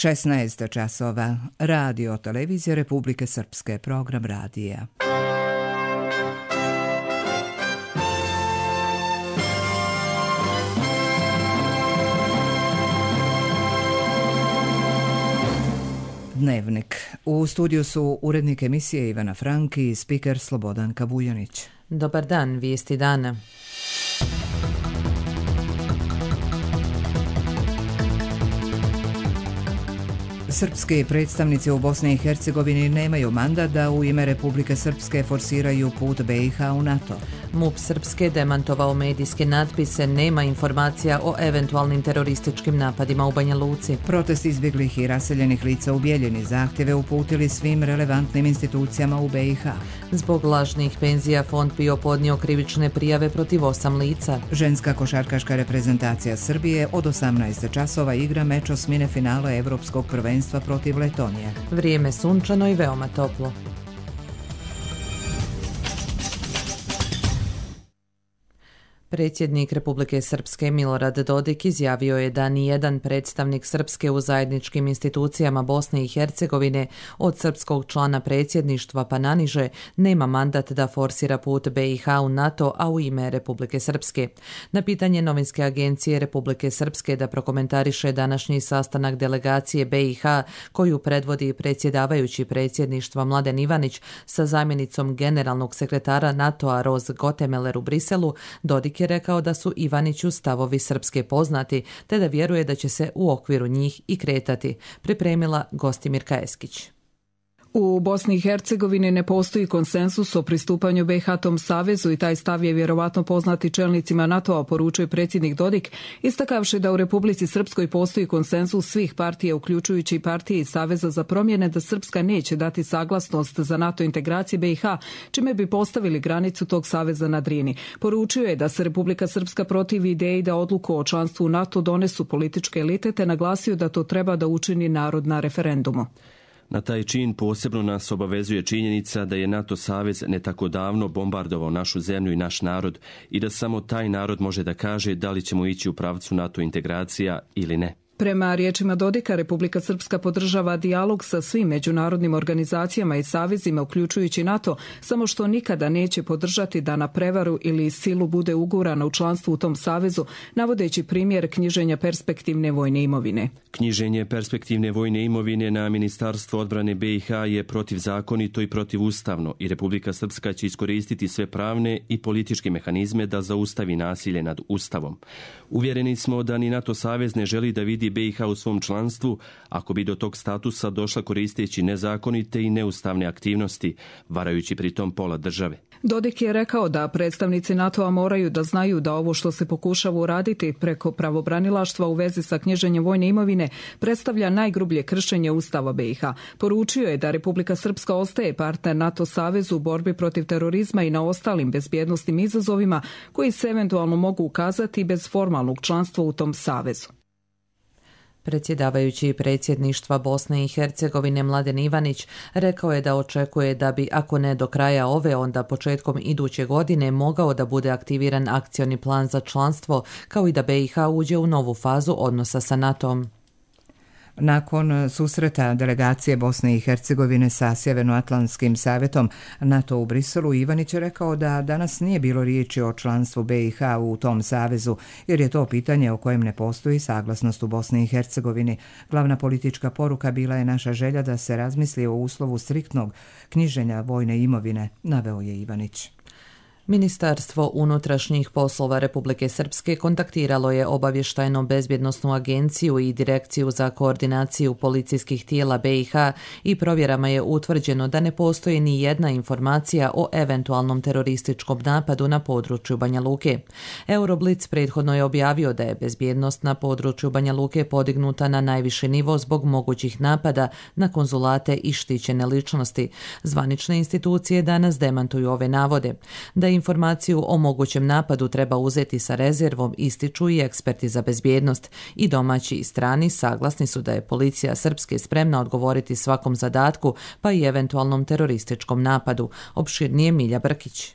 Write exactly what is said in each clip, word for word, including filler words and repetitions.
šesnaest časova. Radio televizija Republike Srpske, program radija. Dnevnik. U studiju su urednik emisije Ivana Frank i spiker Slobodan Kabujanić. Dobar dan, vijesti dana. Srpski predstavnici u Bosni i Hercegovini nemaju mandat da u ime Republike Srpske forsiraju put B i H u NATO. MUP Srpske demantovao medijske natpise, nema informacija o eventualnim terorističkim napadima u Banja Luci. Protest izbjeglih i raseljenih lica u Bijeljini zahtjeve uputili svim relevantnim institucijama u B i H. Zbog lažnih penzija fond PIO podnio krivične prijave protiv osam lica. Ženska košarkaška reprezentacija Srbije od osamnaest časova igra meč osmine finala Evropskog prvenstva protiv Letonije. Vrijeme sunčano i veoma toplo. Predsjednik Republike Srpske Milorad Dodik izjavio je da nijedan predstavnik Srpske u zajedničkim institucijama Bosne i Hercegovine od srpskog člana predsjedništva pa naniže nema mandat da forsira put B i H u NATO, a u ime Republike Srpske. Na pitanje novinske agencije Republike Srpske da prokomentariše današnji sastanak delegacije B i H koju predvodi predsjedavajući predsjedništva Mladen Ivanić sa zamjenicom generalnog sekretara NATO-a Roz Gotemeler u Briselu, Dodik je rekao da su Ivaniću stavovi Srpske poznati, te da vjeruje da će se u okviru njih i kretati, pripremila Gostimirka Eskić. U Bosni i Hercegovini ne postoji konsensus o pristupanju B i H tom savezu i taj stav je vjerovatno poznati čelnicima NATO-a, poručuje predsjednik Dodik, istakavši da u Republici Srpskoj postoji konsensus svih partija, uključujući i partije iz Saveza za promjene, da Srpska neće dati saglasnost za NATO integracije B i H, čime bi postavili granicu tog saveza na Drini. Poručio je da se Republika Srpska protivi ideji da odluku o članstvu u NATO donesu političke elite, te naglasio da to treba da učini narod na referendumu. Na taj čin posebno nas obavezuje činjenica da je NATO savez ne tako davno bombardovao našu zemlju i naš narod i da samo taj narod može da kaže da li ćemo ići u pravcu NATO integracija ili ne. Prema riječima Dodika, Republika Srpska podržava dijalog sa svim međunarodnim organizacijama i savezima, uključujući NATO, samo što nikada neće podržati da na prevaru ili silu bude ugurana u članstvu u tom savezu, navodeći primjer knjiženja perspektivne vojne imovine. Knjiženje perspektivne vojne imovine na Ministarstvo odbrane B i H je protivzakonito i protivustavno i Republika Srpska će iskoristiti sve pravne i političke mehanizme da zaustavi nasilje nad Ustavom. Uvjereni smo da ni NATO savez ne želi da vidi B i H u svom članstvu ako bi do tog statusa došla koristeći nezakonite i neustavne aktivnosti, varajući pritom pola države. Dodik je rekao da predstavnici NATO-a moraju da znaju da ovo što se pokušava uraditi preko pravobranilaštva u vezi sa knjiženjem vojne imovine predstavlja najgrublje kršenje Ustava B i H. Poručio je da Republika Srpska ostaje partner NATO savezu u borbi protiv terorizma i na ostalim bezbjednosnim izazovima koji se eventualno mogu ukazati bez formalnog članstva u tom savezu. Predsjedavajući predsjedništva Bosne i Hercegovine Mladen Ivanić rekao je da očekuje da bi, ako ne do kraja ove, onda početkom iduće godine mogao da bude aktiviran akcioni plan za članstvo, kao i da B i H uđe u novu fazu odnosa sa NATO-om. Nakon susreta delegacije Bosne i Hercegovine sa Sjevernoatlantskim savjetom NATO u Briselu, Ivanić je rekao da danas nije bilo riječi o članstvu B i H u tom savezu, jer je to pitanje o kojem ne postoji saglasnost u Bosni i Hercegovini. Glavna politička poruka bila je naša želja da se razmisli o uslovu striktnog knjiženja vojne imovine, naveo je Ivanić. Ministarstvo unutrašnjih poslova Republike Srpske kontaktiralo je obavještajno-bezbjednosnu agenciju i direkciju za koordinaciju policijskih tijela B i H i provjerama je utvrđeno da ne postoji ni jedna informacija o eventualnom terorističkom napadu na području Banja Luke. Euroblitz prethodno je objavio da je bezbjednost na području Banja Luke podignuta na najviši nivo zbog mogućih napada na konzulate i štićene ličnosti. Zvanične institucije danas demantuju ove navode. Da informaciju o mogućem napadu treba uzeti sa rezervom, ističu i eksperti za bezbjednost. I domaći i strani saglasni su da je policija Srpske spremna odgovoriti svakom zadatku, pa i eventualnom terorističkom napadu. Opširnije Milja Brkić.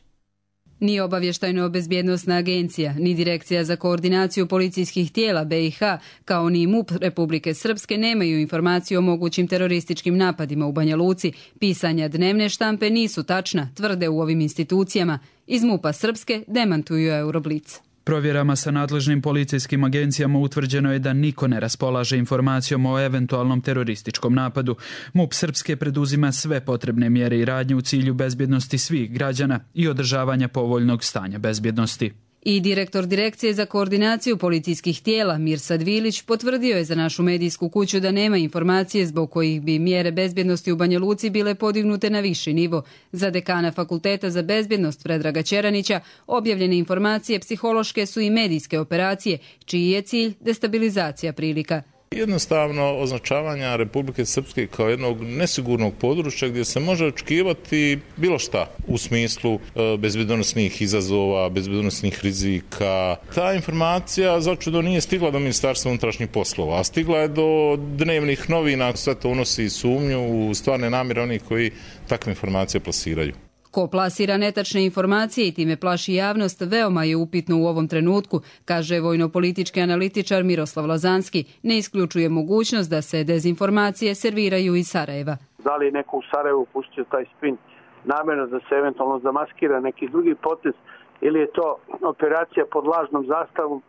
Ni obavještajno-bezbjednosna agencija, ni Direkcija za koordinaciju policijskih tijela B i H, kao ni M U P Republike Srpske nemaju informaciju o mogućim terorističkim napadima u Banja Luci. Pisanja dnevne štampe nisu tačna, tvrde u ovim institucijama. Iz M U P-a Srpske demantuju Euroblic. Provjerama sa nadležnim policijskim agencijama utvrđeno je da niko ne raspolaže informacijom o eventualnom terorističkom napadu. M U P Srpske preduzima sve potrebne mjere i radnje u cilju bezbjednosti svih građana i održavanja povoljnog stanja bezbjednosti. I direktor Direkcije za koordinaciju policijskih tijela Mirsad Vilić potvrdio je za našu medijsku kuću da nema informacije zbog kojih bi mjere bezbjednosti u Banja Luci bile podignute na viši nivo. Za dekana Fakulteta za bezbjednost Predraga Čeranića objavljene informacije psihološke su i medijske operacije, čiji je cilj destabilizacija prilika. Jednostavno označavanja Republike Srpske kao jednog nesigurnog područja gdje se može očekivati bilo šta u smislu bezbjednosnih izazova, bezbjednosnih rizika. Ta informacija začudo nije stigla do Ministarstva unutrašnjih poslova, a stigla je do dnevnih novina. Sve to unosi sumnju u stvarne namjere onih koji takve informacije plasiraju. Ko plasira netačne informacije i time plaši javnost veoma je upitno u ovom trenutku, kaže vojno-politički analitičar Miroslav Lazanski. Ne isključuje mogućnost da se dezinformacije serviraju iz Sarajeva. Da li neko u Sarajevu pustio taj spin namjerno da se eventualno zamaskira neki drugi potez ili je to operacija pod lažnom zastavom,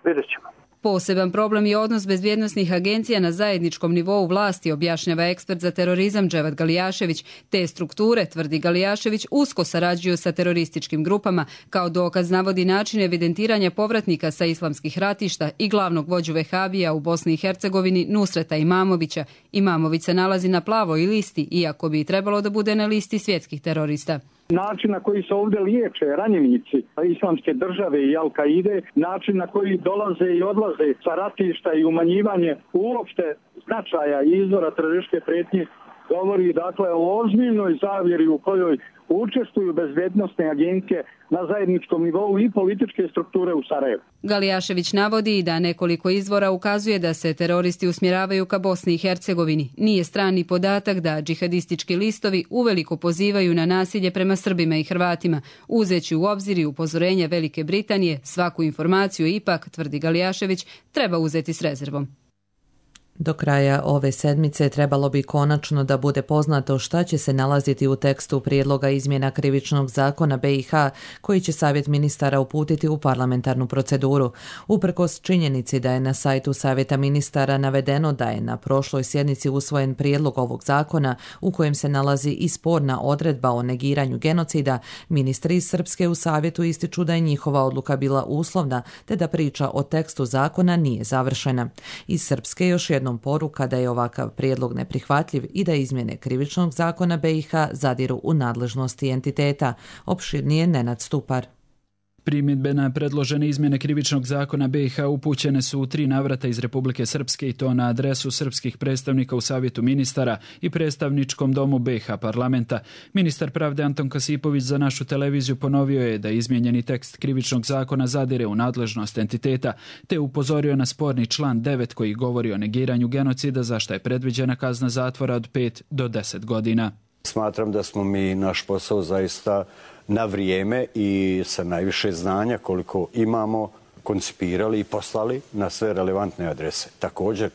vidjet ćemo. Poseban problem je odnos bezbjednosnih agencija na zajedničkom nivou vlasti, objašnjava ekspert za terorizam Dževad Galijašević. Te strukture, tvrdi Galijašević, usko sarađuju sa terorističkim grupama. Kao dokaz navodi način evidentiranja povratnika sa islamskih ratišta i glavnog vođu Vehabija u Bosni i Hercegovini Nusreta Imamovića. Imamović se nalazi na plavoj listi, iako bi trebalo da bude na listi svjetskih terorista. Način na koji se ovdje liječe ranjenici islamske države i Al-Kaide, način na koji dolaze i odlaze sa ratišta i umanjivanje uopšte značaja i izvora terorističke prijetnje, govori dakle o ozbiljnoj zavjeri u kojoj učestvuju bezbjednosne agencije na zajedničkom nivou i političke strukture u Sarajevu. Galijašević navodi da nekoliko izvora ukazuje da se teroristi usmjeravaju ka Bosni i Hercegovini. Nije strani podatak da džihadistički listovi uveliko pozivaju na nasilje prema Srbima i Hrvatima. Uzeći u obzir i upozorenja Velike Britanije, svaku informaciju ipak, tvrdi Galijašević, treba uzeti s rezervom. Do kraja ove sedmice trebalo bi konačno da bude poznato šta će se nalaziti u tekstu prijedloga izmjena krivičnog zakona B i H koji će Savjet ministara uputiti u parlamentarnu proceduru. Uprkos činjenici da je na sajtu Savjeta ministara navedeno da je na prošloj sjednici usvojen prijedlog ovog zakona u kojem se nalazi i sporna odredba o negiranju genocida, ministri iz Srpske u Savjetu ističu da je njihova odluka bila uslovna te da priča o tekstu zakona nije završena. Iz Srpske još jedno poruka da je ovakav prijedlog neprihvatljiv i da izmjene krivičnog zakona B i H zadiru u nadležnosti entiteta. Opširnije Nenad Stupar. Primjedbe na predložene izmjene krivičnog zakona B i H upućene su u tri navrata iz Republike Srpske i to na adresu srpskih predstavnika u Savjetu ministara i predstavničkom domu B i H parlamenta. Ministar pravde Anton Kasipović za našu televiziju ponovio je da izmijenjeni tekst krivičnog zakona zadire u nadležnost entiteta, te upozorio na sporni član devet koji govori o negiranju genocida za što je predviđena kazna zatvora od pet do deset godina. Smatram da smo mi naš posao zaista na vrijeme i sa najviše znanja koliko imamo koncipirali i poslali na sve relevantne adrese. Također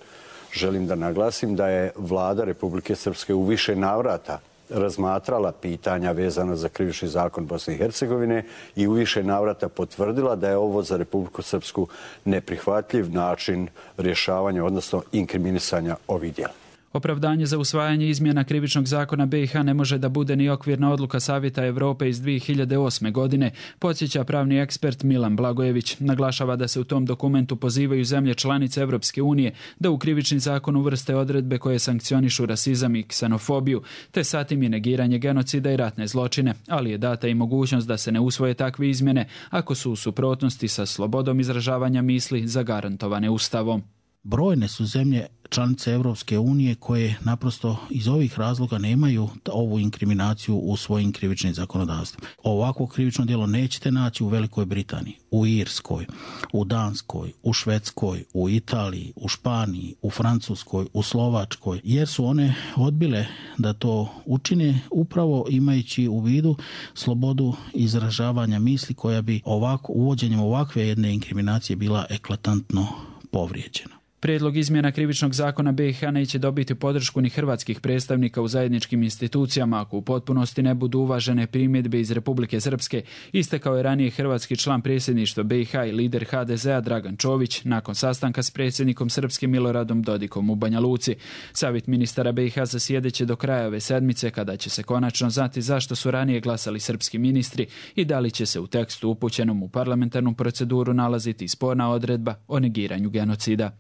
želim da naglasim da je Vlada Republike Srpske u više navrata razmatrala pitanja vezana za krivični zakon Bosne i Hercegovine i u više navrata potvrdila da je ovo za Republiku Srpsku neprihvatljiv način rješavanja, odnosno inkriminisanja ovih djela. Opravdanje za usvajanje izmjena krivičnog zakona B i H ne može da bude ni okvirna odluka Savjeta Evrope iz dvije hiljade osme. godine, podsjeća pravni ekspert Milan Blagojević. Naglašava da se u tom dokumentu pozivaju zemlje članice Evropske unije da u krivični zakon uvrste odredbe koje sankcionišu rasizam i ksenofobiju, te satim i negiranje genocida i ratne zločine, ali je data i mogućnost da se ne usvoje takve izmjene ako su u suprotnosti sa slobodom izražavanja misli zagarantovane Ustavom. Brojne su zemlje članice Europske unije koje naprosto iz ovih razloga nemaju ovu inkriminaciju u svojim krivičnim zakonodavstvima. Ovako krivično djelo nećete naći u Velikoj Britaniji, u Irskoj, u Danskoj, u Švedskoj, u Italiji, u Španiji, u Francuskoj, u Slovačkoj, jer su one odbile da to učine upravo imajući u vidu slobodu izražavanja misli koja bi ovako, uvođenjem ovakve jedne inkriminacije bila eklatantno povrijeđena. Prijedlog izmjena krivičnog zakona B i H neće dobiti podršku ni hrvatskih predstavnika u zajedničkim institucijama ako u potpunosti ne budu uvažene primjedbe iz Republike Srpske, istakao je ranije hrvatski član predsjedništva B i H i lider H D Z-a Dragan Čović nakon sastanka s predsjednikom Srpske Miloradom Dodikom u Banja Luci. Savjet ministara B i H zasjedeće do kraja ove sedmice kada će se konačno znati zašto su ranije glasali srpski ministri i da li će se u tekstu upućenom u parlamentarnu proceduru nalaziti sporna odredba o negiranju genocida.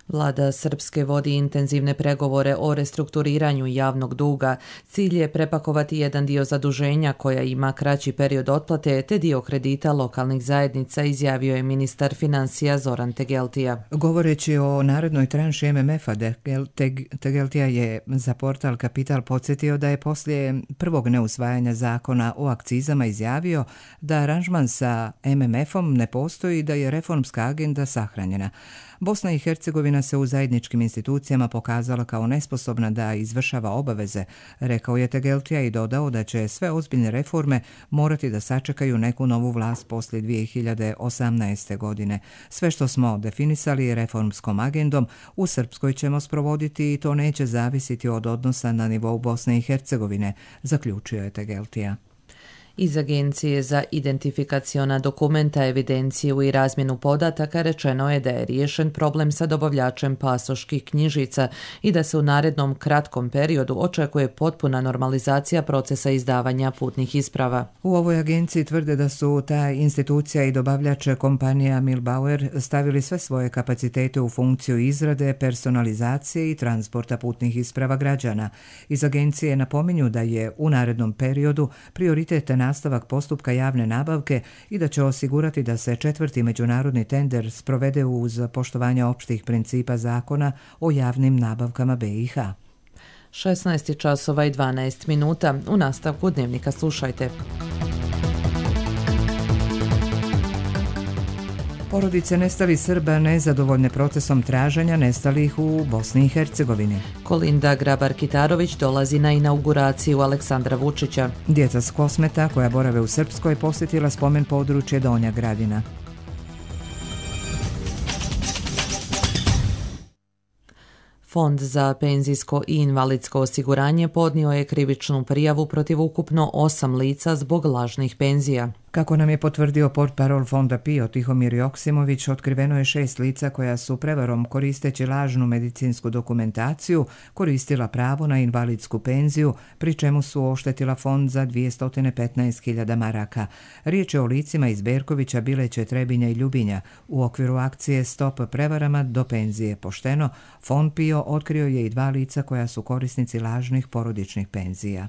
Vlada Srpske vodi intenzivne pregovore o restrukturiranju javnog duga. Cilj je prepakovati jedan dio zaduženja koja ima kraći period otplate te dio kredita lokalnih zajednica, izjavio je ministar financija Zoran Tegeltija. Govoreći o narednoj tranši M M F-a, Tegeltija je za portal Kapital podsjetio da je poslije prvog neusvajanja zakona o akcizama izjavio da aranžman sa M M F-om ne postoji i da je reformska agenda sahranjena. Bosna i Hercegovina se u zajedničkim institucijama pokazala kao nesposobna da izvršava obaveze, rekao je Tegeltija i dodao da će sve ozbiljne reforme morati da sačekaju neku novu vlast poslije dvije hiljade osamnaeste. godine. Sve što smo definisali reformskom agendom u Srpskoj ćemo sprovoditi i to neće zavisiti od odnosa na nivou Bosne i Hercegovine, zaključio je Tegeltija. Iz Agencije za identifikaciona dokumenta, evidenciju i razmjenu podataka rečeno je da je riješen problem sa dobavljačem pasoških knjižica i da se u narednom kratkom periodu očekuje potpuna normalizacija procesa izdavanja putnih isprava. U ovoj agenciji tvrde da su ta institucija i dobavljač kompanija Milbauer stavili sve svoje kapacitete u funkciju izrade, personalizacije i transporta putnih isprava građana. Iz agencije napominju da je u narednom periodu prioritet nastavak postupka javne nabavke i da će osigurati da se četvrti međunarodni tender sprovede uz poštovanje opštih principa zakona o javnim nabavkama B i H. šesnaest časova i dvanaest minuta. U nastavku dnevnika slušajte. Porodice nestalih Srba nezadovoljne procesom traženja nestalih u Bosni i Hercegovini. Kolinda Grabar-Kitarović dolazi na inauguraciju Aleksandra Vučića. Djeca s Kosmeta koja borave u Srpskoj posjetila spomen područje Donja Gradina. Fond za penzijsko i invalidsko osiguranje podnio je krivičnu prijavu protiv ukupno osam lica zbog lažnih penzija. Kako nam je potvrdio portparol Fonda PIO Tihomir Joksimović, otkriveno je šest lica koja su prevarom koristeći lažnu medicinsku dokumentaciju koristila pravo na invalidsku penziju, pri čemu su oštetila fond za dvjesto petnaest hiljada maraka. Riječ je o licima iz Berkovića, Bileće, Trebinja i Ljubinja. U okviru akcije Stop prevarama do penzije pošteno, Fond PIO otkrio je i dva lica koja su korisnici lažnih porodičnih penzija.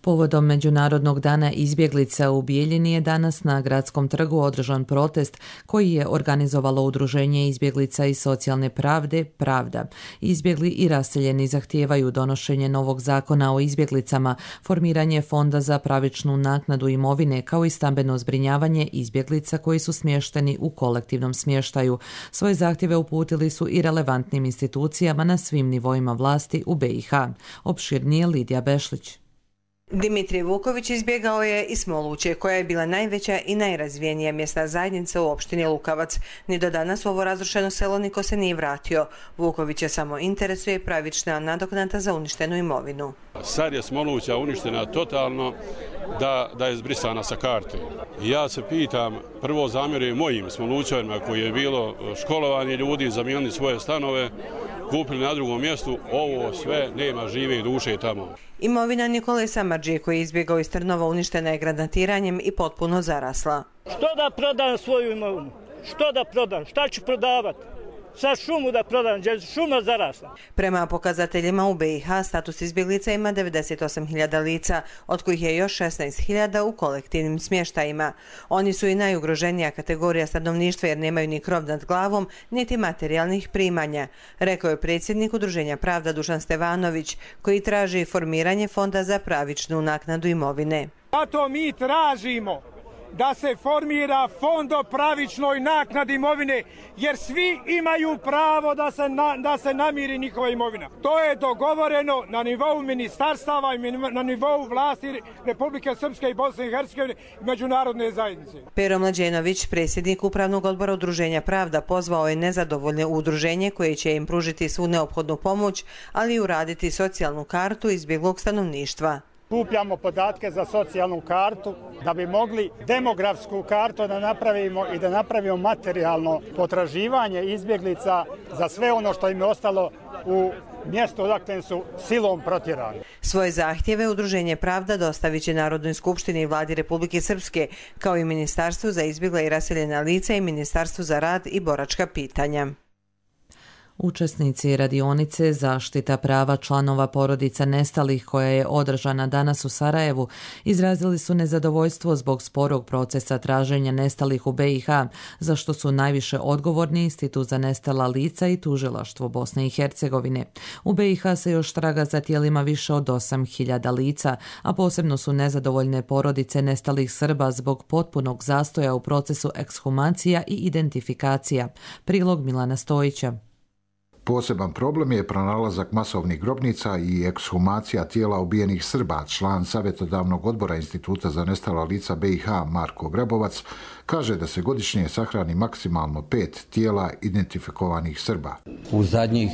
Povodom Međunarodnog dana izbjeglica u Bijeljini je danas na Gradskom trgu održan protest koji je organizovalo Udruženje izbjeglica i socijalne pravde Pravda. Izbjegli i raseljeni zahtijevaju donošenje novog zakona o izbjeglicama, formiranje fonda za pravičnu naknadu imovine kao i stambeno zbrinjavanje izbjeglica koji su smješteni u kolektivnom smještaju. Svoje zahtjeve uputili su i relevantnim institucijama na svim nivoima vlasti u B i H. Opširnije Lidija Bešlić. Dimitrij Vuković izbjegao je iz Smoluće, koja je bila najveća i najrazvijenija mjesna zajednica u opštini Lukavac. Ni do danas u ovo razrušeno selo niko se nije vratio. Vukovića samo interesuje pravična nadoknada za uništenu imovinu. Sad je Smoluća uništena totalno, da, da je zbrisana sa karte. Ja se pitam, prvo zamjerujem mojim Smolućanima koji je bilo školovanje ljudi, zamijenili svoje stanove, kupili na drugom mjestu, ovo sve nema žive duše tamo. Imovina Nikole Samarđije koji je izbjegao iz Trnova uništena je granatiranjem i potpuno zarasla. Što da prodam svoju imovinu? Što da prodam? Šta ću prodavati? sa šumu da prodam, gdje je šuma zarasla. Prema pokazateljima u B i H status izbjeglica ima devedeset osam hiljada lica, od kojih je još šesnaest hiljada u kolektivnim smještajima. Oni su i najugroženija kategorija stanovništva jer nemaju ni krov nad glavom, niti materijalnih primanja, rekao je predsjednik Udruženja Pravda Dušan Stevanović, koji traži formiranje fonda za pravičnu naknadu imovine. Zato mi tražimo da se formira fond o pravičnoj naknadi imovine, jer svi imaju pravo da se, na, da se namiri njihova imovina. To je dogovoreno na nivou ministarstava i na nivou vlasti Republike Srpske i Bosne i Hercegovine i međunarodne zajednice. Pero Mlađenović, predsjednik Upravnog odbora Udruženja Pravda, pozvao je nezadovoljne udruženje koje će im pružiti svu neophodnu pomoć, ali i uraditi socijalnu kartu izbjeglog stanovništva. Kupljamo podatke za socijalnu kartu da bi mogli demografsku kartu da napravimo i da napravimo materijalno potraživanje izbjeglica za sve ono što im je ostalo u mjestu odakle su silom protjerani. Svoje zahtjeve Udruženje Pravda dostavit će Narodnoj skupštini i Vladi Republike Srpske, kao i Ministarstvu za izbjegla i raseljena lica i Ministarstvu za rad i boračka pitanja. Učesnici radionice Zaštita prava članova porodica nestalih koja je održana danas u Sarajevu izrazili su nezadovoljstvo zbog sporog procesa traženja nestalih u B i H, za što su najviše odgovorni Institut za nestala lica i Tužilaštvo Bosne i Hercegovine. U B i H se još traga za tijelima više od osam hiljada lica, a posebno su nezadovoljne porodice nestalih Srba zbog potpunog zastoja u procesu ekshumacija i identifikacija. Prilog Milana Stojića. Poseban problem je pronalazak masovnih grobnica i ekshumacija tijela ubijenih Srba. Član savjetodavnog odbora Instituta za nestala lica B i H Marko Grabovac kaže da se godišnje sahrani maksimalno pet tijela identifikovanih Srba. U zadnjih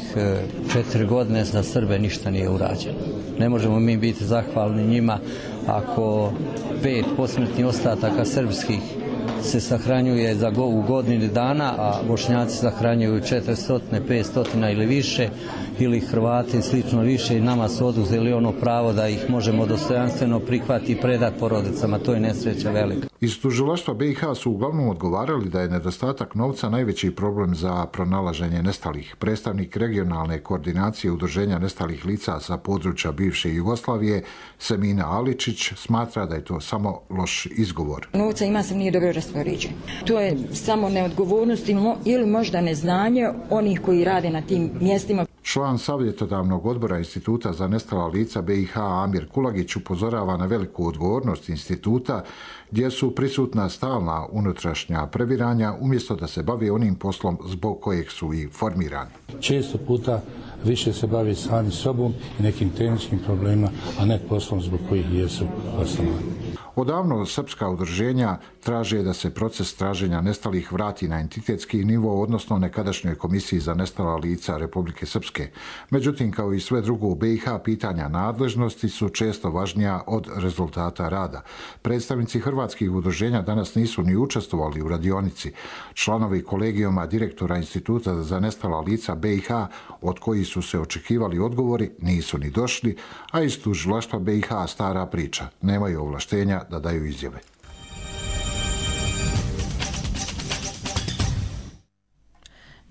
četiri godine za Srbe ništa nije urađeno. Ne možemo mi biti zahvalni njima ako pet posmrtnih ostataka srpskih se sahranjuje za go, u godini dana, a Bošnjaci sahranjuju četiristo, petsto ili više, ili Hrvati slično više i nama su oduzeli ono pravo da ih možemo dostojanstveno prihvatiti i predati porodicama. To je nesreća velika. Iz tužilaštva B i H su uglavnom odgovarali da je nedostatak novca najveći problem za pronalaženje nestalih. Predstavnik regionalne koordinacije Udruženja nestalih lica sa područja bivše Jugoslavije, Semina Aličić, smatra da je to samo loš izgovor. Novca ima se nije dobro raspoređen. To je samo neodgovornost ili možda neznanje onih koji rade na tim mjestima. Član savjetodavnog odbora Instituta za nestala lica B i H Amir Kulagić upozorava na veliku odgovornost instituta gdje su prisutna stalna unutrašnja prebiranja umjesto da se bavi onim poslom zbog kojeg su i formirani. Često puta više se bavi sami sobom i nekim tehničkim problemima, a ne poslom zbog kojih jesu osnovani. Odavno srpska udruženja traže da se proces traženja nestalih vrati na entitetski nivo, odnosno nekadašnjoj Komisiji za nestala lica Republike Srpske. Međutim, kao i sve drugo u B i H, pitanja nadležnosti su često važnija od rezultata rada. Predstavnici hrvatskih udruženja danas nisu ni učestvovali u radionici. Članovi kolegijuma direktora Instituta za nestala lica B i H, od kojih su se očekivali odgovori, nisu ni došli, a iz tužilaštva B i H stara priča. Nemaju ovlaštenja da daju izjave.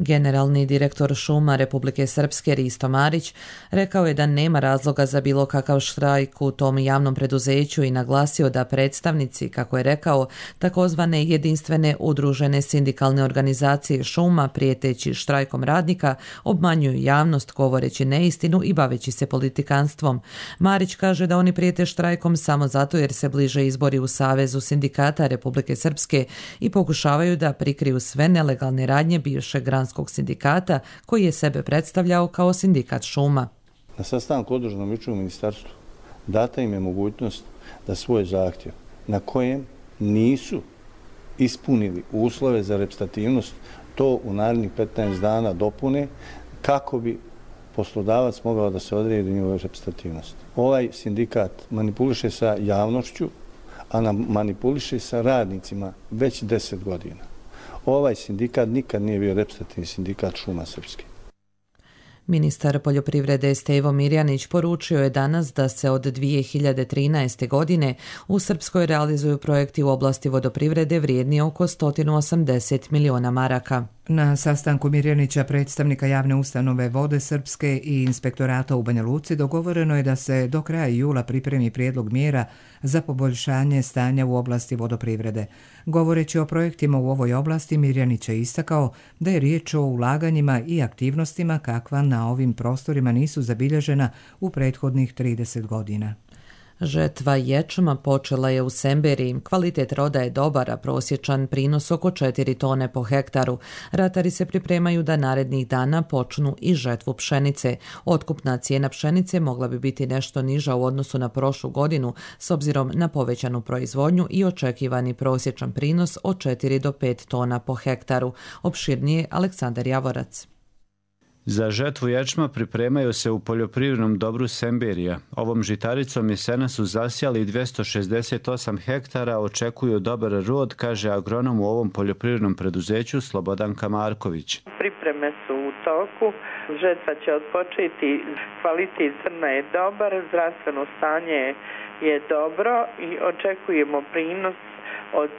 Generalni direktor šuma Republike Srpske Risto Marić rekao je da nema razloga za bilo kakav štrajk u tom javnom preduzeću i naglasio da predstavnici, kako je rekao, takozvane jedinstvene udružene sindikalne organizacije šuma prijeteći štrajkom radnika obmanjuju javnost govoreći neistinu i baveći se politikanstvom. Marić kaže da oni prijete štrajkom samo zato jer se bliže izbori u Savezu sindikata Republike Srpske i pokušavaju da prikriju sve nelegalne radnje bivšeg granskog sindikata koji je sebe predstavljao kao sindikat šuma. Na sastanku održanom jučer u ministarstvu data im je mogućnost da svoj zahtjev na kojem nisu ispunili uslove za reprezentativnost to u narednih petnaest dana dopune kako bi poslodavac mogao da se odredi njegova reprezentativnost. Ovaj sindikat manipuliše sa javnošću, a manipuliše sa radnicima već deset godina. Ovaj sindikat nikad nije bio reprezentativni sindikat šuma srpske. Ministar poljoprivrede Stevo Mirjanić poručio je danas da se od dvije hiljade trinaeste. godine u Srpskoj realizuju projekti u oblasti vodoprivrede vrijedni oko sto osamdeset miliona maraka. Na sastanku Mirjanića, predstavnika javne ustanove Vode Srpske i inspektorata u Banja Luci, dogovoreno je da se do kraja jula pripremi prijedlog mjera za poboljšanje stanja u oblasti vodoprivrede. Govoreći o projektima u ovoj oblasti, Mirjanić je istakao da je riječ o ulaganjima i aktivnostima kakva na ovim prostorima nisu zabilježena u prethodnih trideset godina. Žetva ječma počela je u Semberiji. Kvalitet roda je dobar, a prosječan prinos oko četiri tone po hektaru. Ratari se pripremaju da narednih dana počnu i žetvu pšenice. Otkupna cijena pšenice mogla bi biti nešto niža u odnosu na prošlu godinu s obzirom na povećanu proizvodnju i očekivani prosječan prinos od četiri do pet tona po hektaru. Opširnije Aleksandar Javorac. Za žetvu ječma pripremaju se u poljoprivrednom dobru Semberija. Ovom žitaricom jesena su zasijali dvjesto šezdeset osam hektara, očekuju dobar rod, kaže agronom u ovom poljoprivrednom preduzeću Slobodanka Marković. Pripreme su u toku, žetva će odpočeti, kvalitet zrna je dobar, zdravstveno stanje je dobro i očekujemo prinos od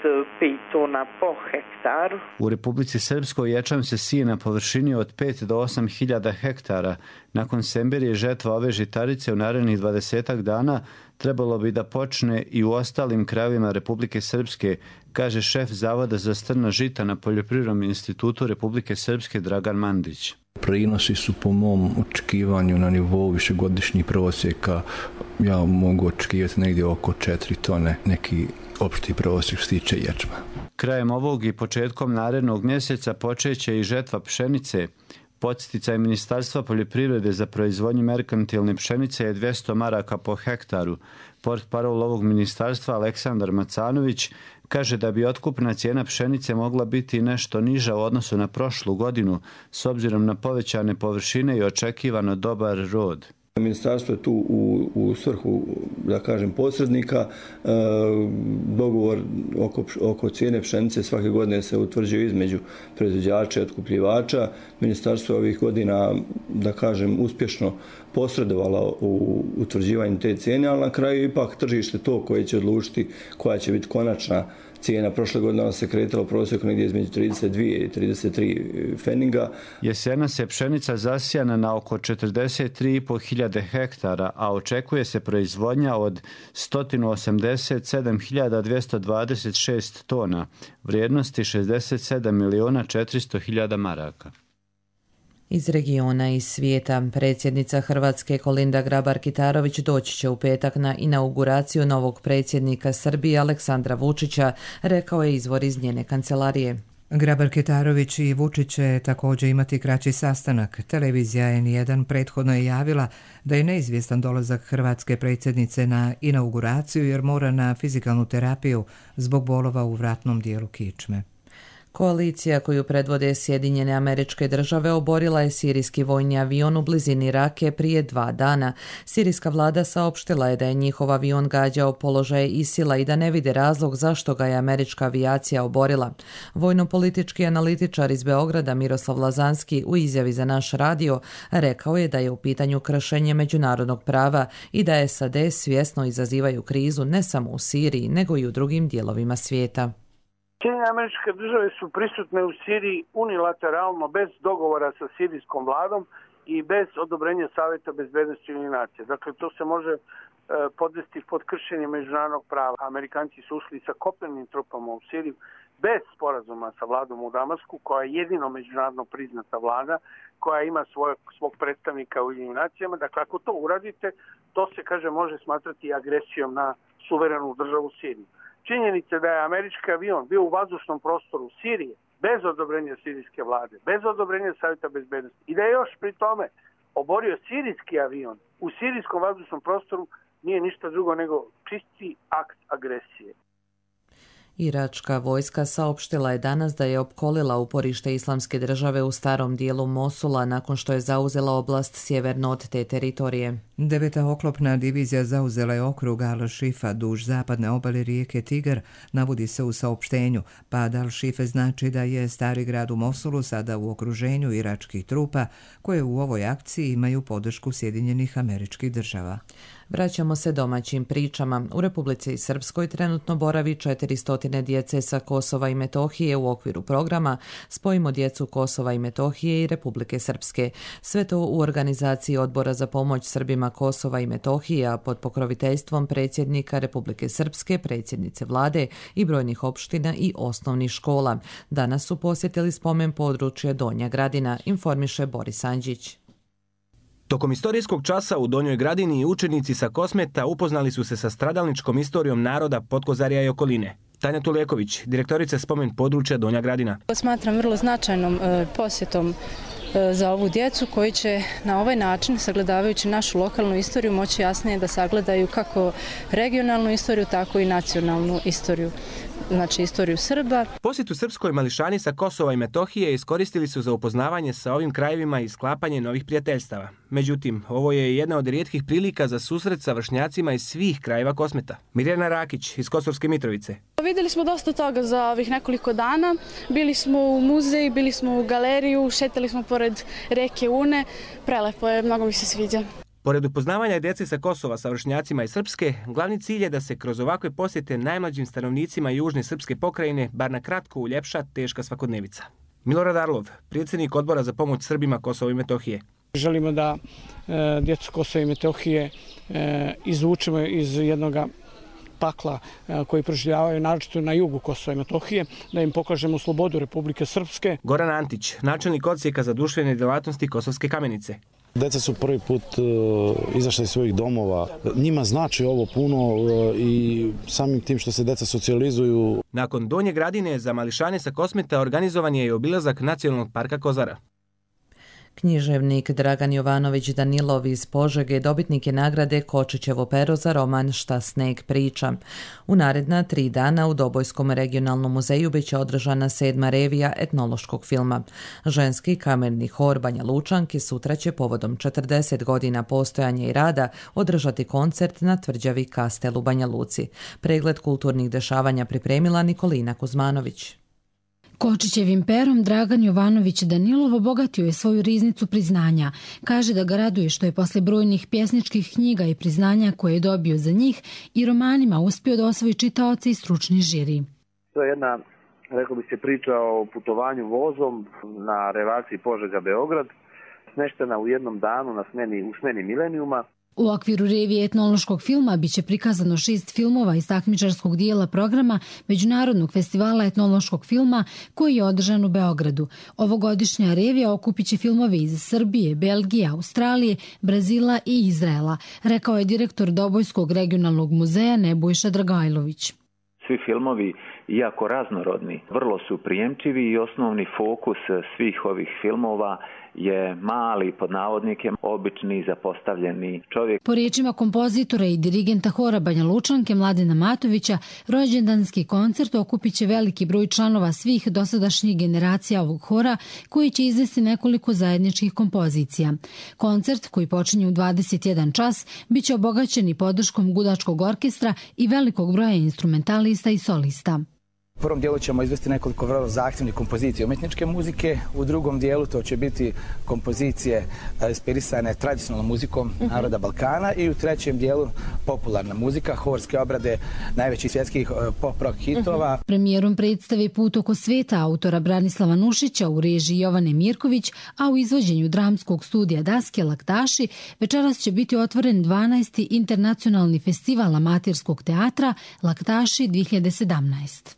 pet tona po hektaru. U Republici Srpskoj ječam se sije na površini od pet do osam hiljada hektara. Nakon Semberije žetva ove žitarice u narednih dvadesetak dana trebalo bi da počne i u ostalim krajevima Republike Srpske, kaže šef Zavoda za strna žita na Poljoprivrednom institutu Republike Srpske Dragan Mandić. Prinosi su po mom očekivanju na nivou višegodišnjih prosjeka. Ja mogu očekivati negdje oko četiri tone, neki opšti prosjek što se tiče ječma. Krajem ovog i početkom narednog mjeseca počeće i žetva pšenice. Podsticaj Ministarstva poljoprivrede za proizvodnju merkantilne pšenice je dvjesto maraka po hektaru. Portparol ovog ministarstva Aleksandar Macanović kaže da bi otkupna cijena pšenice mogla biti nešto niža u odnosu na prošlu godinu s obzirom na povećane površine i očekivano dobar rod. Ministarstvo je tu u, u svrhu, da kažem, posrednika. E, dogovor oko, oko cijene pšenice svake godine se utvrđuje između proizvođača i otkupljivača. Ministarstvo je ovih godina, da kažem, uspješno posredovalo u utvrđivanju te cijene, ali na kraju ipak tržište to koje će odlučiti koja će biti konačna cijena. Prošle godine ona se kretala u prosjeku negdje između trideset dva i trideset tri feninga. Jesena se pšenica zasijana na oko četrdeset tri i po hiljade hektara, a očekuje se proizvodnja od sto osamdeset sedam hiljada dvjesto dvadeset šest tona, vrijednosti šezdeset sedam miliona četiristo hiljada maraka. Iz regiona i svijeta, predsjednica Hrvatske Kolinda Grabar-Kitarović doći će u petak na inauguraciju novog predsjednika Srbije Aleksandra Vučića, rekao je izvor iz njene kancelarije. Grabar-Kitarović i Vučić će također imati kraći sastanak. Televizija N jedan prethodno je javila da je neizvjestan dolazak hrvatske predsjednice na inauguraciju jer mora na fizikalnu terapiju zbog bolova u vratnom dijelu kičme. Koalicija koju predvode Sjedinjene Američke Države oborila je sirijski vojni avion u blizini Rake prije dva dana. Sirijska vlada saopštila je da je njihov avion gađao položaje ISIL-a i da ne vide razlog zašto ga je američka avijacija oborila. Vojno-politički analitičar iz Beograda Miroslav Lazanski u izjavi za naš radio rekao je da je u pitanju kršenje međunarodnog prava i da S A D svjesno izazivaju krizu ne samo u Siriji nego i u drugim dijelovima svijeta. Sjedinjene Američke Države su prisutne u Siriji unilateralno bez dogovora sa sirijskom vladom i bez odobrenja Savjeta bezbednosti Ujedinjenih nacija. Dakle, to se može e, podvesti pod kršenje međunarodnog prava. Amerikanci su ušli sa kopnenim trupama u Siriju bez sporazuma sa vladom u Damasku, koja je jedino međunarodno priznata vlada, koja ima svoj, svog predstavnika u Ujedinjenim nacijama. Dakle, ako to uradite, to se, kaže, može smatrati agresijom na suverenu državu Siriju. Činjenica da je američki avion bio u vazdušnom prostoru Sirije bez odobrenja sirijske vlade, bez odobrenja Savjeta bezbednosti i da je još pri tome oborio sirijski avion u sirijskom vazdušnom prostoru nije ništa drugo nego čisti akt agresije. Iračka vojska saopštila je danas da je opkolila uporište Islamske države u starom dijelu Mosula nakon što je zauzela oblast sjeverno od te teritorije. Deveta oklopna divizija zauzela je okrug Al-Šifa duž zapadne obale rijeke Tigar, navodi se u saopštenju. Pad Al-Šife znači da je stari grad u Mosulu sada u okruženju iračkih trupa koje u ovoj akciji imaju podršku Sjedinjenih Američkih Država. Vraćamo se domaćim pričama. U Republici Srpskoj trenutno boravi četiristo djece sa Kosova i Metohije u okviru programa Spojimo djecu Kosova i Metohije i Republike Srpske. Sve to u organizaciji Odbora za pomoć Srbima Kosova i Metohije, a pod pokroviteljstvom predsjednika Republike Srpske, predsjednice vlade i brojnih opština i osnovnih škola. Danas su posjetili spomen područje Donja Gradina, informiše Boris Anđić. Tokom istorijskog časa u Donjoj Gradini učenici sa Kosmeta upoznali su se sa stradalničkom istorijom naroda Potkozarja i okoline. Tanja Tuleković, direktorica spomen područja Donja Gradina. Smatram vrlo značajnom posjetom za ovu djecu koji će na ovaj način, sagledavajući našu lokalnu istoriju, moći jasnije da sagledaju kako regionalnu istoriju, tako i nacionalnu istoriju, znači istoriju Srba. Posjet u Srpskoj mališani sa Kosova i Metohije iskoristili su za upoznavanje sa ovim krajevima i sklapanje novih prijateljstava. Međutim, ovo je jedna od rijetkih prilika za susret sa vršnjacima iz svih krajeva Kosmeta. Mirjana Rakić iz Kosovske Mitrovice. Vidjeli smo dosta toga za ovih nekoliko dana. Bili smo u muzej, bili smo u galeriju, šetali smo pored reke Une. Prelepo je, mnogo mi se sviđa. Pored upoznavanja djece sa Kosova sa vršnjacima iz Srpske, glavni cilj je da se kroz ovakve posjete najmlađim stanovnicima južne srpske pokrajine bar na kratko uljepša teška svakodnevica. Milorad Arlov, predsjednik Odbora za pomoć Srbima Kosova i Metohije. Želimo da e, djecu Kosova i Metohije e, izvučemo iz jednog pakla e, koji proživljavaju naročito na jugu Kosova i Metohije, da im pokažemo slobodu Republike Srpske. Goran Antić, načelnik odsjeka za društvene djelatnosti Kosovske Kamenice. Deca su prvi put uh, izašli iz svojih domova. Njima znači ovo puno uh, i samim tim što se deca socijalizuju. Nakon Donje Gradine za mališane sa Kosmeta organizovan je i obilazak Nacionalnog parka Kozara. Književnik Dragan Jovanović Danilov iz Požege dobitnik je nagrade Kočićevo pero za roman Šta sneg priča. U naredna tri dana u Dobojskom regionalnom muzeju biće održana sedma revija etnološkog filma. Ženski kamerni hor Banja Lučanki sutra će povodom četrdeset godina postojanja i rada održati koncert na tvrđavi Kastel u Banja Luci. Pregled kulturnih dešavanja pripremila Nikolina Kuzmanović. Kočićevim perom Dragan Jovanović Danilov obogatio je svoju riznicu priznanja. Kaže da ga raduje što je posle brojnih pjesničkih knjiga i priznanja koje je dobio za njih i romanima uspio da osvoji čitaoce i stručni žiri. To je jedna, rekao bi se, priča o putovanju vozom na relaciji Požega-Beograd, smeštena u jednom danu na smeni, u smeni milenijuma. U okviru revije etnološkog filma biće prikazano šest filmova iz takmičarskog dijela programa Međunarodnog festivala etnološkog filma koji je održan u Beogradu. Ovogodišnja revija okupit će filmove iz Srbije, Belgije, Australije, Brazila i Izraela, rekao je direktor Dobojskog regionalnog muzeja Nebojša Dragajlović. Svi filmovi, iako raznorodni, vrlo su prijemčivi i osnovni fokus svih ovih filmova je mali, pod navodnikem, obični, zapostavljeni čovjek. Po riječima kompozitora i dirigenta hora Banja Lučanke Mladena Matovića, rođendanski koncert okupit će veliki broj članova svih dosadašnjih generacija ovog hora koji će izvesti nekoliko zajedničkih kompozicija. Koncert, koji počinje u dvadeset jedan čas, bit će obogaćen i podrškom gudačkog orkestra i velikog broja instrumentalista i solista. U prvom dijelu ćemo izvesti nekoliko vrlo zahtjevnih kompozicija umjetničke muzike, u drugom dijelu to će biti kompozicije inspirisane tradicionalnom muzikom naroda Balkana i u trećem dijelu popularna muzika, horske obrade najvećih svjetskih pop-rock hitova. Premijerom predstave Put oko sveta autora Branislava Nušića u režiji Jovane Mirković, a u izvođenju dramskog studija Daske Laktaši, večeras će biti otvoren dvanaesti internacionalni festival amaterskog teatra Laktaši dvije hiljade sedamnaest.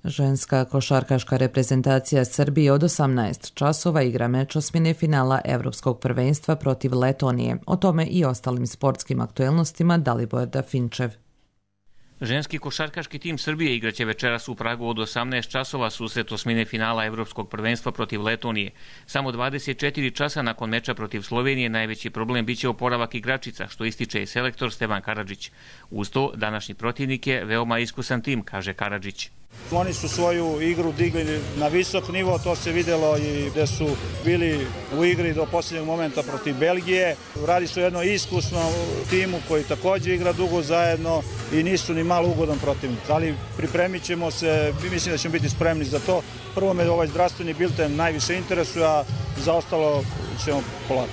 Ženska košarkaška reprezentacija Srbije od osamnaest časova igra meč osmine finala Evropskog prvenstva protiv Letonije. O tome i ostalim sportskim aktuelnostima Dalibor Dafinčev. Ženski košarkaški tim Srbije igraće večeras u Pragu od osamnaest časova susret osmine finala Evropskog prvenstva protiv Letonije. Samo dvadeset četiri časa nakon meča protiv Slovenije najveći problem biće oporavak igračica, što ističe i selektor Stevan Karadžić. Uz to, današnji protivnik je veoma iskusan tim, kaže Karadžić. Oni su svoju igru digli na visok nivo, to se vidjelo i gdje su bili u igri do posljednjeg momenta protiv Belgije. Radi se o jednom iskusnom timu koji također igra dugo zajedno i nisu ni malo ugodan protivnik. Ali pripremit ćemo se, mislim da ćemo biti spremni za to. Prvo me ovaj zdravstveni bilten najviše interesuje, a za ostalo ćemo polako.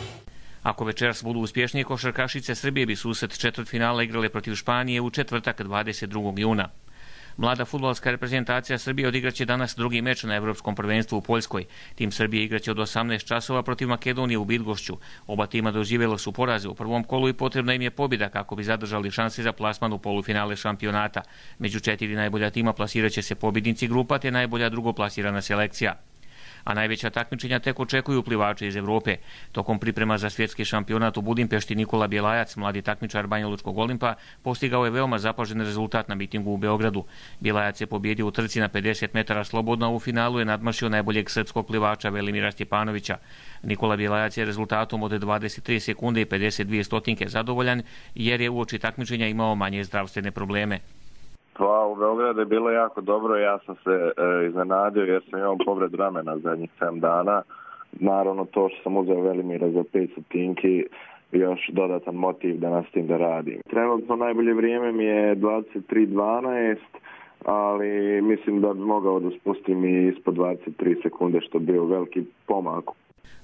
Ako večeras budu uspješnije, košarkašice Srbije bi susret četvrtfinala igrale protiv Španije u četvrtak dvadeset drugog juna. Mlada fudbalska reprezentacija Srbije odigraće danas drugi meč na Evropskom prvenstvu u Poljskoj. Tim Srbije igraće od osamnaest časova protiv Makedonije u Bydgošću. Oba tima doživjela su poraze u prvom kolu i potrebna im je pobjeda kako bi zadržali šanse za plasman u polufinale šampionata. Među četiri najbolja tima plasiraće se pobjednici grupa te najbolja drugoplasirana selekcija. A najveća takmičenja tek očekuju plivače iz Europe. Tokom priprema za svjetski šampionat u Budimpešti Nikola Bjelajac, mladi takmičar Banjalučkog Olimpa, postigao je veoma zapažen rezultat na mitingu u Beogradu. Bjelajac je pobjedio u trci na pedeset metara slobodno, a u finalu je nadmašio najboljeg srpskog plivača Velimira Stjepanovića. Nikola Bjelajac je rezultatom od dvadeset tri sekunde i pedeset dvije stotinke zadovoljan jer je uoči takmičenja imao manje zdravstvene probleme. Pa u Beogradu je bilo jako dobro, ja sam se e, iznenadio jer sam imao povred ramena zadnjih sedam dana. Naravno to što sam uzeo Velimira za pet stotinki, još dodatan motiv da nastavim da radim. Trenutno najbolje vrijeme mi je dvadeset tri dvanaest, ali mislim da bi mogao da spustim i ispod dvadeset tri sekunde, što bi bio veliki pomak.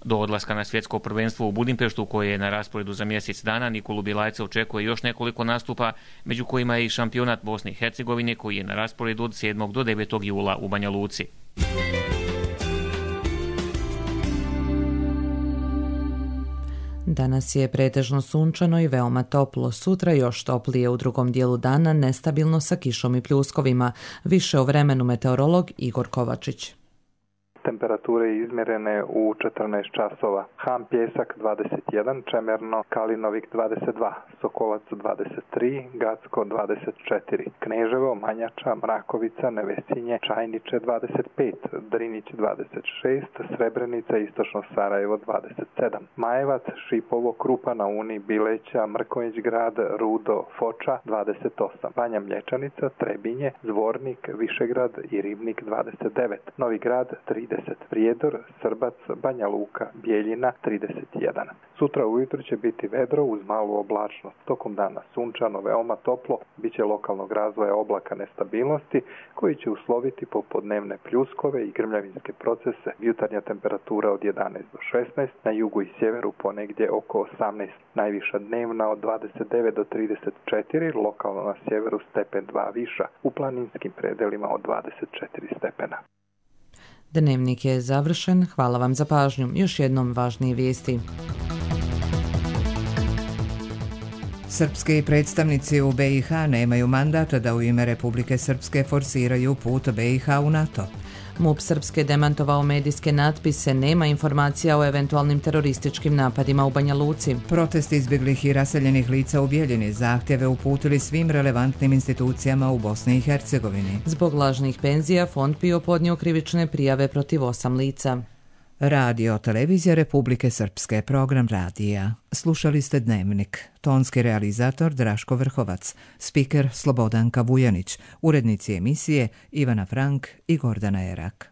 Do odlaska na svjetsko prvenstvo u Budimpeštu, koje je na rasporedu za mjesec dana, Nikolu Bjelajca očekuje još nekoliko nastupa, među kojima je i šampionat Bosne i Hercegovine, koji je na rasporedu od sedmog do devetog jula u Banja Luci. Danas je pretežno sunčano i veoma toplo. Sutra još toplije, u drugom dijelu dana nestabilno sa kišom i pljuskovima. Više o vremenu meteorolog Igor Kovačić. Temperature izmjerene u četrnaest časova. Ham Pjesak dvadeset jedan, Čemerno, Kalinovik dvadeset dva, Sokolac dvadeset tri, Gacko dvadeset četiri, Kneževo, Manjača, Mrakovica, Nevesinje, Čajniče dvadeset pet, Drinić dvadeset šest, Srebrenica, Istočno Sarajevo dvadeset sedam, Majevac, Šipovo, Krupa na Uni, Bileća, Mrkonjić grad, Rudo, Foča dvadeset osam, Banja Mlječanica, Trebinje, Zvornik, Višegrad i Ribnik dvadeset devet, Novi grad trideset, Prijedor, Srbac, Banja Luka, Bijeljina trideset jedan. Sutra ujutro će biti vedro uz malu oblačnost. Tokom dana sunčano, veoma toplo, bit će lokalnog razvoja oblaka nestabilnosti koji će usloviti popodnevne pljuskove i grmljavinske procese. Jutarnja temperatura od jedanaest do šesnaest, na jugu i sjeveru ponegdje oko osamnaest. Najviša dnevna od dvadeset devet do trideset četiri, lokalno na sjeveru stepen dva viša, u planinskim predelima od dvadeset četiri stepena. Dnevnik je završen. Hvala vam za pažnju. Još jednom važnije vijesti. Srpski predstavnici u B i H nemaju mandata da u ime Republike Srpske forsiraju put B i H u NATO. MUP Srpske demantovao medijske natpise, nema informacija o eventualnim terorističkim napadima u Banja Luci. Protest izbjeglih i raseljenih lica u Bijeljini zahtjeve uputili svim relevantnim institucijama u Bosni i Hercegovini. Zbog lažnih penzija Fond PIO podnio krivične prijave protiv osam lica. Radio Televizija Republike Srpske, program radija. Slušali ste Dnevnik. Tonski realizator Draško Vrhovac, spiker Slobodanka Vujanić, urednici emisije Ivana Frank i Gordana Erak.